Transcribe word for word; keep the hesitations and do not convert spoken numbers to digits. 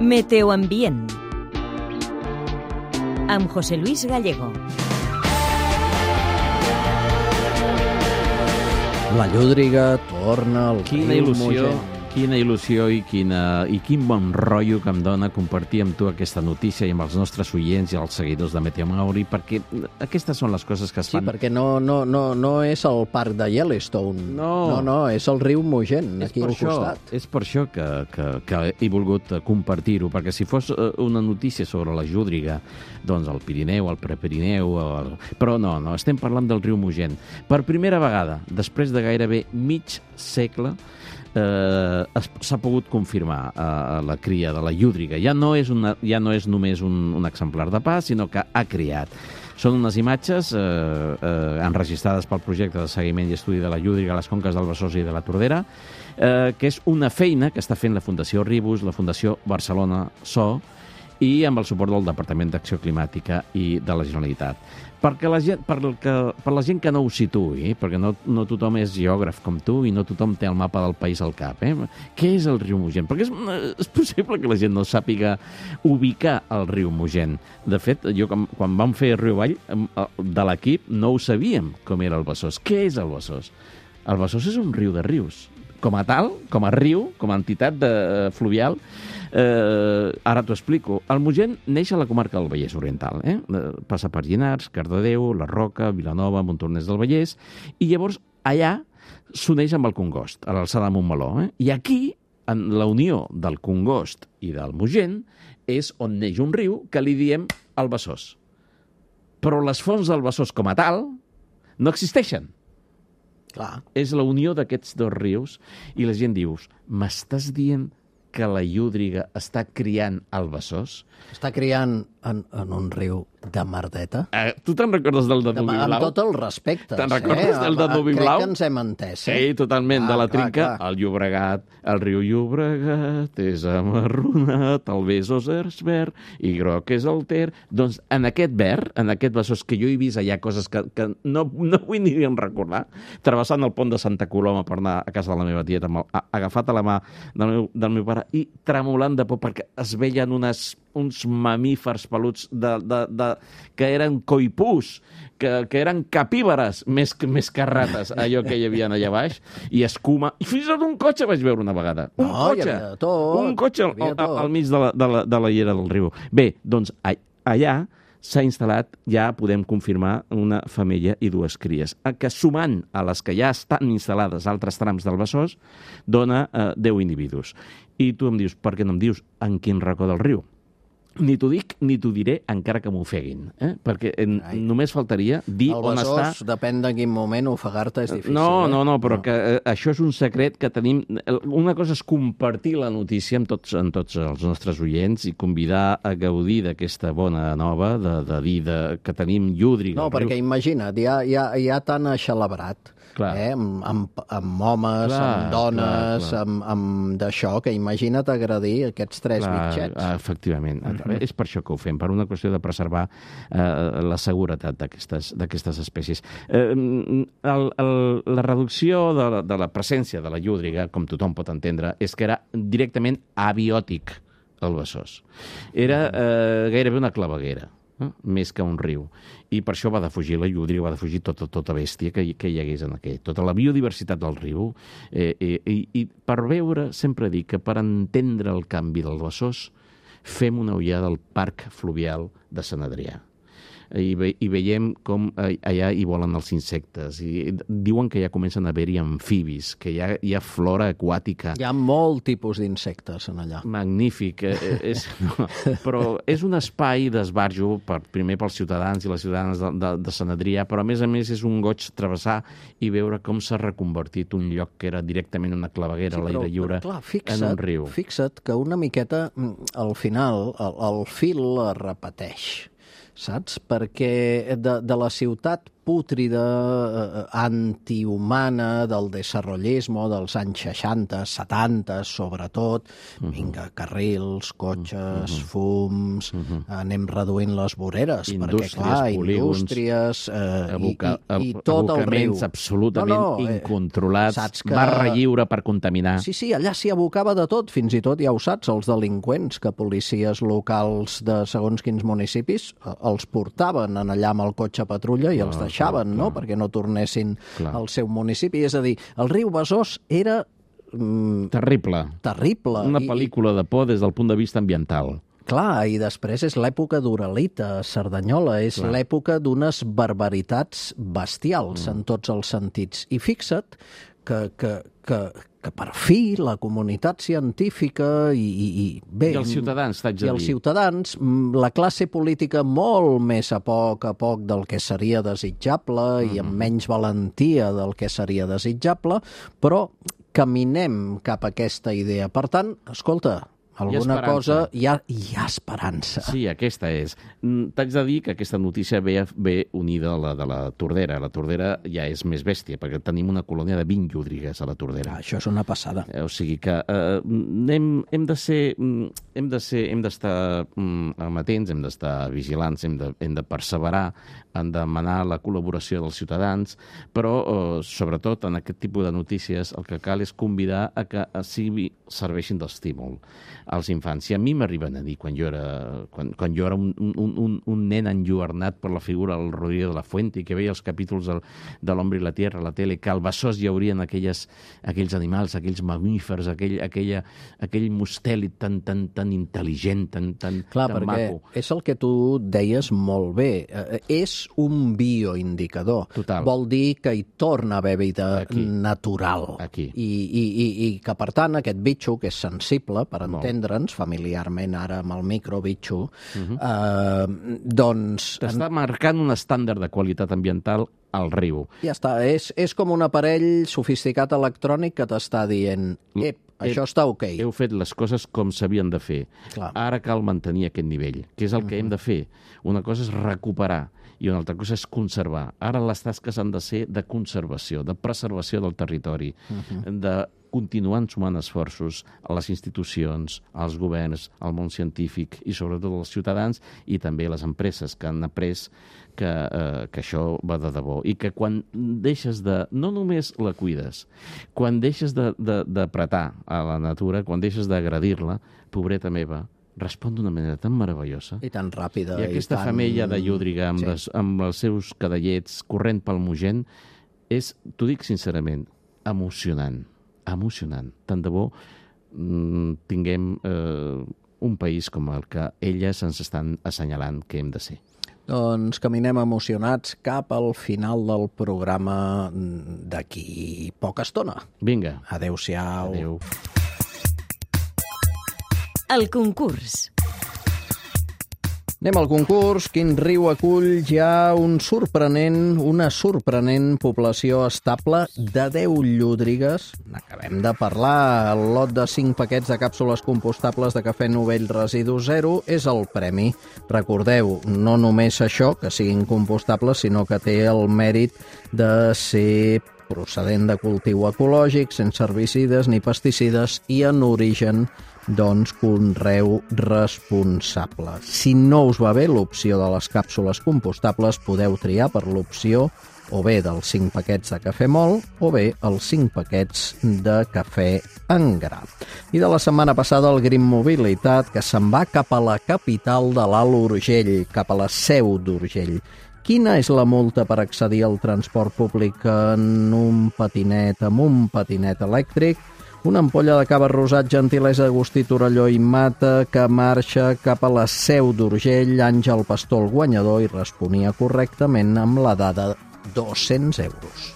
Meteoambient amb José Luis Gallego. La llúdriga torna al Quina riu il·lusió, Mogent. quina il·lusió i, quina, i quin bon rotllo que em dona compartir amb tu aquesta notícia i amb els nostres oients i els seguidors de Meteo Mauri, perquè aquestes són les coses que es Sí, fan. perquè no, no, no, no és el parc de Yellowstone. No. no, no és el riu Mogent, És aquí per al això, costat. és per això que, que, que he volgut compartir-ho, perquè si fos eh, una notícia sobre la llúdriga, doncs el Pirineu, el Prepirineu... El... Però no, no, estem parlant del riu Mogent. Per primera vegada, després de gairebé mig segle, eh, s'ha pogut confirmar eh, la cria de la llúdriga. Ja no és, una, ja no és només un, un exemplar de pas, sinó que ha criat. Són unes imatges eh, eh, enregistrades pel projecte de seguiment i estudi de la llúdriga a les conques del Besòs i de la Tordera, eh, que és una feina que està fent la Fundació Ribus, la Fundació Barcelona S O i amb el suport del Departament d'Acció Climàtica i de la Generalitat. Perquè la gent, per, que, per la gent que no ho situï, perquè no, no tothom és geògraf com tu i no tothom té el mapa del país al cap, eh? Què és el riu Mogent? Perquè és, és possible que la gent no sàpiga ubicar el riu Mogent. De fet, jo quan, quan vam fer Riu Avall, de l'equip, no ho sabíem com era el Besòs. Què és el Besòs? El Besòs és un riu de rius. Com a tal, com a riu, com a entitat de, fluvial, eh, ara t'ho explico. El Mogent neix a la comarca del Vallès Oriental. Eh? Passa per Llinars, Cardedeu, La Roca, Vilanova, Montornès del Vallès, i llavors allà s'uneix amb el Congost, a l'alçada de Montmeló. Eh? I aquí, en la unió del Congost i del Mogent, és on neix un riu que li diem el Besòs. Però les fonts del Besòs com a tal no existeixen. Clar. És la unió d'aquests dos rius i la gent diu, m'estàs dient que la llúdriga està criant el Besòs? Està criant en, en un riu de merdeta. Eh, tu te'n recordes del Danubi Amb Blau? tot el respecte. Te'n recordes del Danubi Blau? Crec que ens hem entès. Eh? Sí, totalment, Ah, de la clar, trinca. clar. El Llobregat, el riu Llobregat és amarronat, el Besòs és verd i groc és el Ter. Doncs en aquest verd, en aquest Besòs, que jo he vist allà coses que, que no, no vull ni recordar, travessant el pont de Santa Coloma per anar a casa de la meva tieta, amb el, a, agafat a la mà del meu, del meu pare i tremolant de por perquè es veien unes, uns mamífers peluts de, de, de, que eren coipús, que, que eren capíbares més, més que rates, allò que hi havia allà baix, i escuma. I fins i tot un cotxe vaig veure una vegada. Un No, hi cotxe. havia de tot, Un cotxe al, hi havia al, tot. al mig de la, de, la, de la llera del riu. Bé, doncs a, allà s'ha instal·lat, ja podem confirmar, una femella i dues cries, que sumant a les que ja estan instal·lades a altres trams del Besòs, dona eh, deu individus. I tu em dius, per què no em dius en quin racó del riu? Ni t'ho dic ni t'ho diré, encara que m'ofeguin, eh? Perquè en, només faltaria dir El on està... Besòs, depèn de quin moment, ofegar-te és difícil. No, eh? no, no, però no. que eh, això és un secret que tenim... Una cosa és compartir la notícia amb tots, amb tots els nostres oients i convidar a gaudir d'aquesta bona nova, de, de dir de, que tenim llúdriga. No, perquè imagina't, ja, ja, ja tan aixelebrat, eh? amb, amb, amb homes, Clar, amb dones, clar, clar. amb, amb d'això, que imagina't agredir aquests tres Clar, mitjets. efectivament. Uh-huh. És per això que ho fem, per una qüestió de preservar eh, la seguretat d'aquestes espècies. Eh, el, el, la reducció de la, de la presència de la llúdriga, com tothom pot entendre, és que era directament abiòtic el Besòs. Era eh, gairebé una claveguera, eh? Més que un riu. I per això va defugir la llúdriga, va defugir tota, tota bèstia que, que hi hagués en aquell. Tota la biodiversitat del riu. Eh, eh, i, I per veure, sempre dic que per entendre el canvi del Besòs, fem una ullada al parc fluvial de Sant Adrià. I, ve, i veiem com allà hi volen els insectes. I diuen que ja comencen a haver-hi amfibis, que hi ha, hi ha flora aquàtica. Hi ha molt tipus d'insectes en allà. Magnífic. Eh, és, no, però és un espai d'esbarjo, per, primer pels ciutadans i les ciutadanes de, de, de Sant Adrià, però a més a més és un goig travessar i veure com s'ha reconvertit un lloc que era directament una claveguera sí, a l'aire lliure clar, fixa't, en un riu. Fixa't que una miqueta, al final, el, el fil es repeteix, saps? Perquè de, de la ciutat pútrida, eh, antihumana del desarrollismo dels anys seixanta, setanta, sobretot. Uh -huh. Vinga, carrils, cotxes, uh -huh. fums, uh -huh. anem reduint les voreres, indústries, perquè, clar, polígons, indústries eh, aboca, i, i, i tot el riu. absolutament no, no, incontrolats, que... barra lliure per contaminar. Sí, sí, allà s'hi abocava de tot, fins i tot, ja ho saps, els delinqüents, que policies locals de segons quins municipis els portaven en allà amb el cotxe patrulla i clar, els deixaven, clar, no?, clar. perquè no tornessin clar. al seu municipi. És a dir, el riu Besòs era... Mm, terrible. Terrible. Una pel·lícula de por des del punt de vista ambiental. Clar, i després és l'època d'Uralita, a Cerdanyola, és l'època d'unes barbaritats bestials mm. en tots els sentits. I fixa't que, que, que, que per fi la comunitat científica i, i, i bé... I els ciutadans, t'haig de dir. I els ciutadans, la classe política molt més a poc a poc del que seria desitjable mm. i amb menys valentia del que seria desitjable, però caminem cap a aquesta idea. Per tant, escolta, alguna cosa... Hi ha, hi ha esperança. Sí, aquesta és. T'haig de dir que aquesta notícia ve, ve unida a la de la Tordera. La Tordera ja és més bèstia, perquè tenim una colònia de vint llúdrigues a la Tordera. Ah, això és una passada. Eh, o sigui que eh, hem, hem de ser... Hem de ser, hem d'estar mm, amatents, hem d'estar vigilants, hem de, hem de perseverar en demanar la col·laboració dels ciutadans, però, eh, sobretot, en aquest tipus de notícies, el que cal és convidar a que sigui, serveixin d'estímul als infants. Si a mi m'arriben a dir, quan jo era, quan, quan jo era un, un, un, un nen enlluernat per la figura del Rodríguez de la Fuente i que veia els capítols del, de l'Hombre i la Tierra a la tele, que al Besòs hi haurien aquelles, aquells animals, aquells mamífers, aquell, aquella, aquell mustèlid tan, tan, tan intel·ligent, tan, tan, Clar, tan maco. És el que tu deies molt bé. És un bioindicador. Total. Vol dir que hi torna a haver vida Aquí. natural. Aquí. I, i, i, I que, per tant, aquest bitxo, que és sensible, per entendre'ns, familiarment ara amb el microbitxo, uh-huh. eh, doncs... T'està en... marcant un estàndard de qualitat ambiental al riu. Ja està. És, és com un aparell sofisticat electrònic que t'està dient ep, això està ok. Heu fet les coses com s'havien de fer. Clar. Ara cal mantenir aquest nivell, que és el que uh-huh. hem de fer. Una cosa és recuperar i una altra cosa és conservar. Ara les tasques han de ser de conservació, de preservació del territori, uh-huh. de continuar sumant esforços a les institucions, als governs, al món científic i sobretot als ciutadans i també a les empreses que han après que, eh, que això va de debò i que quan deixes de... no només la cuides, quan deixes d'apretar a la natura, quan deixes d'agredir-la, pobreta meva, respon d'una manera tan meravellosa. I tan ràpida. I aquesta i tan... femella de llúdriga amb, sí. les, amb els seus cadallets corrent pel Mogent és, t'ho dic sincerament, emocionant. Emocionant. Tant de bo mmm, tinguem eh, un país com el que elles ens estan assenyalant que hem de ser. Doncs caminem emocionats cap al final del programa d'aquí poca estona. Vinga. Adéu-siau. Adéu. El concurs. Anem al concurs. Quin riu acull ja un sorprenent, una sorprenent població estable de deu llúdrigues. Acabem de parlar. El lot de cinc paquets de càpsules compostables de cafè Novell Residu Zero és el premi. Recordeu, no només això, que siguin compostables, sinó que té el mèrit de ser procedent de cultiu ecològic, sense herbicides ni pesticides i en origen doncs conreu responsable. Si no us va bé l'opció de les càpsules compostables, podeu triar per l'opció o bé dels cinc paquets de cafè mol o bé els cinc paquets de cafè en gra. I de la setmana passada el Green Mobilitat, que se'n va cap a la capital de l'Alt Urgell, cap a la Seu d'Urgell. Quina és la multa per accedir al transport públic en un patinet, amb un patinet elèctric? Una ampolla de cava rosat, gentilesa Agustí Torelló i Mata, que marxa cap a la Seu d'Urgell. Àngel Pastor, el guanyador, i responia correctament amb la dada dos-cents euros.